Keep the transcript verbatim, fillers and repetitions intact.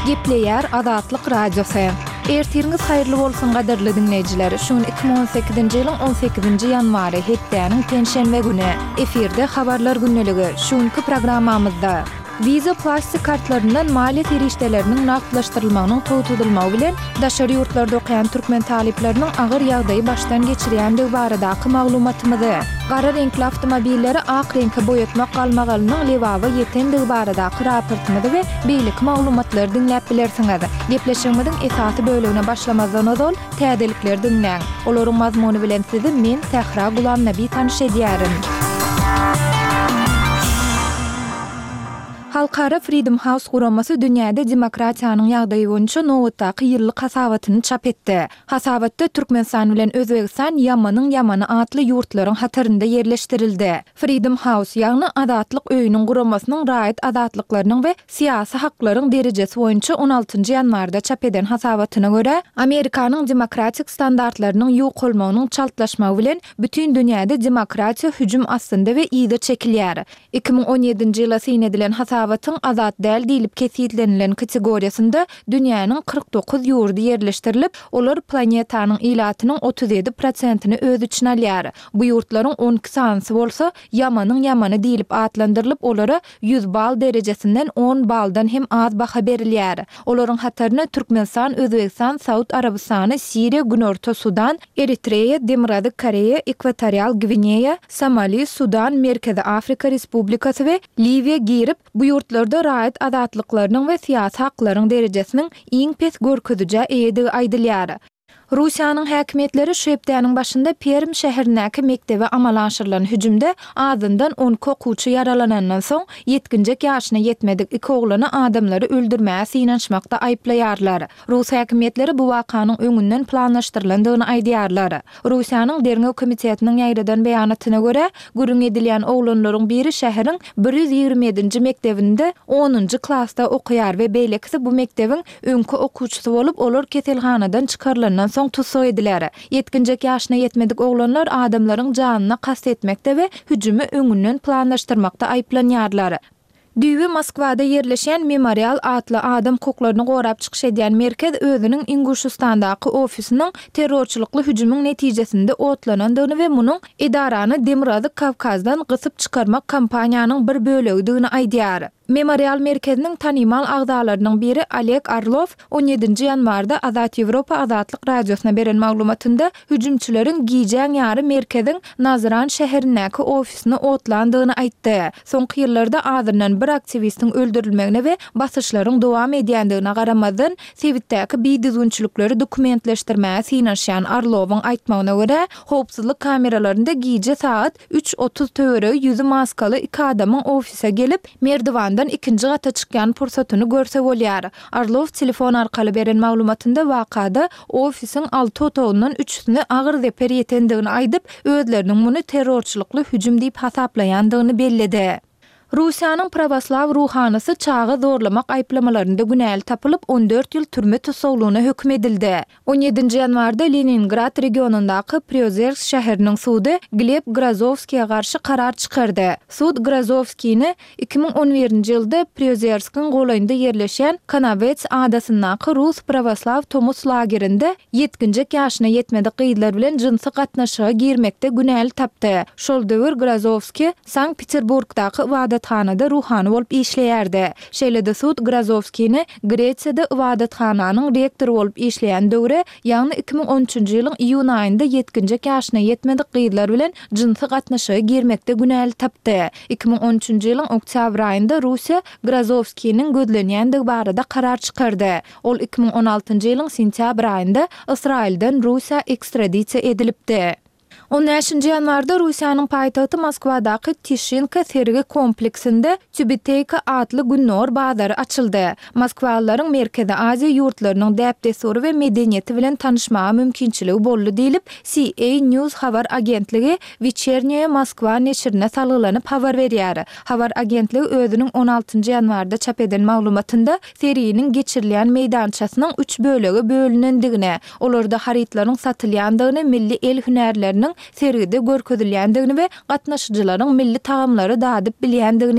Gepleýär Azatlyk Radiosy. Ertiriňiz haýyrly bolsun gadyrly diňleýjiler. Şu gün iki müň on sekizinji ýylyň on sekizinji ýanwary, hepdäniň penşenbe güni. Efirde Habarlar gündeligi. Şu günki programmamyzda Visa plastik kartlaryndan maliýe serişdeleriniň nagtlaşdyrylmagynyň togtadylmagy bilen daşary ýurtlarda okaýan türkmen talyplarynyň agyr ýagdaýy başdan geçirýändigi baradaky maglumatymyzy, gara reňkli awtomobilleri ak reňke boýatmak galmagalynyň Lebaba ýetendigi baradaky raportymyzy we beýleki maglumatlary diňläp bilersiňiz. Gepleşigimiziň esasy bölegine başlamazdan ozal, täzelikleri diňläň. Olaryň mazmuny bilen sizi men, Sähra Gulamnabi tanyş edýärin. Halkara Freedom House guramasy dünýäde demokratiýanyň ýagdaýy boýunça nobatdaky ýyllyk hasabatyny çap etdi. Hasabatda Türkmenistan bilen Özbegistan ýamanyň ýamany atly ýurtlaryň hatarynda ýerleşdirildi. Freedom House, ýagny Azatlyk öýüniň guramasynyň raýat azatlyklarynyň we syýasy haklaryň derejesi boýunça on altynjy ýanwarda çap eden hasabatyna görä, Amerikanyň demokratik standartlarynyň ýukalmagynyň çaltlaşmagy bilen bütin dünýäde demokratiýa hüjüm astynda we yza çekilýär. Iki müň on ýedinji ýyla syn edilen hasabatyň azat däl diýlip kesgitlenilen kategoriýasynda dünýäniň kyrk dokuz ýurdy ýerleşdirilip, olar planetanyň ilatynyň otuz ýedi prosentini öz içine alýar. Bu ýurtlaryň on iki sanysy bolsa ýamanyň ýamany diýlip atlandyrylyp, olara ýüz bal derejesinden on baldan hem az baha berilýär. Olaryň hataryna Türkmenistan, Özbegistan, Saud Arabystany, Siriýa, Günorta Sudan, Eritreýa, Demirgazyk Koreýa, Ekwatorial Gwineýa, Somali, Sudan, Merkezi Afrika Respublikasy we Liwiýa girip, bu ýurtlarda raýat azatlyklarynyň we syýasy haklaryň derejesiniň iň pes görkezijä eýedigi aýdylýar. Russiýanyň häkimiýetleri şu hepdäniň başynda Perm şäherindäki mekdebe amala aşyrylan hüjümde azyndan on iki okuwçy ýaralanandan soň, ýetginjek ýaşyna ýetmedik iki oglany adamlary öldürmäge synanyşmakda aýyplaýarlar. Rus häkimiýetleri bu wakanyň öňünden planlaşdyrylandygyny aýdýarlar. Russiýanyň Derňew komitetiniň ýaýradan beýanatyna görä, gürrüň edilýän oglanlaryň biri şäheriň bir ýüz ýigrimi ýedinji mekdebinde onunjy klasda okaýar we beýlekisi bu mekdebiň öňki okuwçysy bolup, olar keselhanadan çykarylandan soň tussag ediler. Ýetginjek ýaşyna ýetmedik oglanlar adamlaryň janyna kast etmekde we hüjümi öňünden planlaşdyrmakda aýyplanýarlar. Düýbi Moskwada ýerleşýän Memorial atly adam hukuklaryny gorap çykyş edýän merkez özüniň Inguşystandaky ofisiniň terrorçylykly hüjümiň netijesinde otlanandygyny we munuň edarany Demirgazyk Kawkazdan gysyp çykarmak kampaniýanyň bir bölegidigini aýdýar. Memorial merkeziniň tanymal agzalarynyň biri Oleg Orlow on ýedinji ýanwarda Azat Ýewropa Azatlyk Radiosyna beren maglumatynda hüjümçileriň gijäň ýary merkeziň Nazran şäherindäki ofisini otlandygyny aýtdy. Soňky ýyllarda azyndan bir aktiwistiň öldürilmegine we basyşlaryň dowam edýändigine garamazdan, sebitdäki bidüzgünçilikleri dokumentleşdirmäge synanyşýan Orlowyň aýtmagyna görä, howpsuzlyk kameralarynda gije sagat üç otuz töweregi ýüzi maskaly iki adamyň ofise gelip, merdiwandan ikinji gata çykýan pursatyny görse bolýar. Orlow telefon arkaly beren maglumatynda wakada ofisiň alty otagyndan üçüsine agyr zeper ýetendigini aýdyp, özleriniň muny terrorçylykly hüjüm diýip hasaplaýandygyny belledi. Russiýanyň prawoslaw ruhanysy çaga zorlamak aýyplamalarynda günäli tapylyp, on dört ýyl türme tussaglygyna höküm edildi. On ýedinji ýanwarda Leningrad regionyndaky Priozersk şäheriniň sudy Gleb Grozowskiýe garşy karar çykardy. Sud Grozowskini iki müň on birinji ýylda Priozerskiň golaýynda ýerleşýän Kanawets adasyndaky rus prawoslaw tomus lagerinde ýetginjek ýaşyna ýetmedik gyzlar bilen jynsy gatnaşyga girmekde günäli tapdy. Şol döwür Grozowski Sankt-Peterburgdaky ybadathanada ruhany bolup işleýärdi. Şeýle-de sud Grozowskini Gresiýada ybadathananyň rektory bolup işleýän döwre, ýagny iki müň on üçünji ýylyň iýun aýynda ýetginjek ýaşyna ýetmedik gyzlar bilen jynsy gatnaşyga girmekde günäli tapdy. Iki müň on üçünji ýylyň oktýabr aýynda Russiýa Grozowskiniň gözlenýändigi barada karar çykardy. Ol iki müň on altynjy ýylyň sentýabr aýynda Ysraýyldan Russiýa ekstradisiýa edilipdi. On bäşinji ýanwarda Russiýanyň paýtagty Moskwadaky Tişinka sergi kompleksinde Tübiteýka atly gündogar bazary açyldy. Moskwalylaryň Merkezi Aziýa ýurtlarynyň däp-dessury we medeniýeti bilen tanyşmaga mümkinçiligi boldy diýlip, C A News habar agentligi Weçernýaýa Moskwa neşirine salgylanyp habar berýär. Habar agentligi özüniň on altynjy ýanwarda çap eden maglumatynda serginiň geçirilýän meýdançasynyň üç bölege bölünendigini, olarda harytlaryň satylýandygyny, milli el hünärleriniň sergide görkezilýändigini we gatnaşyjylaryň milli tagamlary dadyp bilýändigini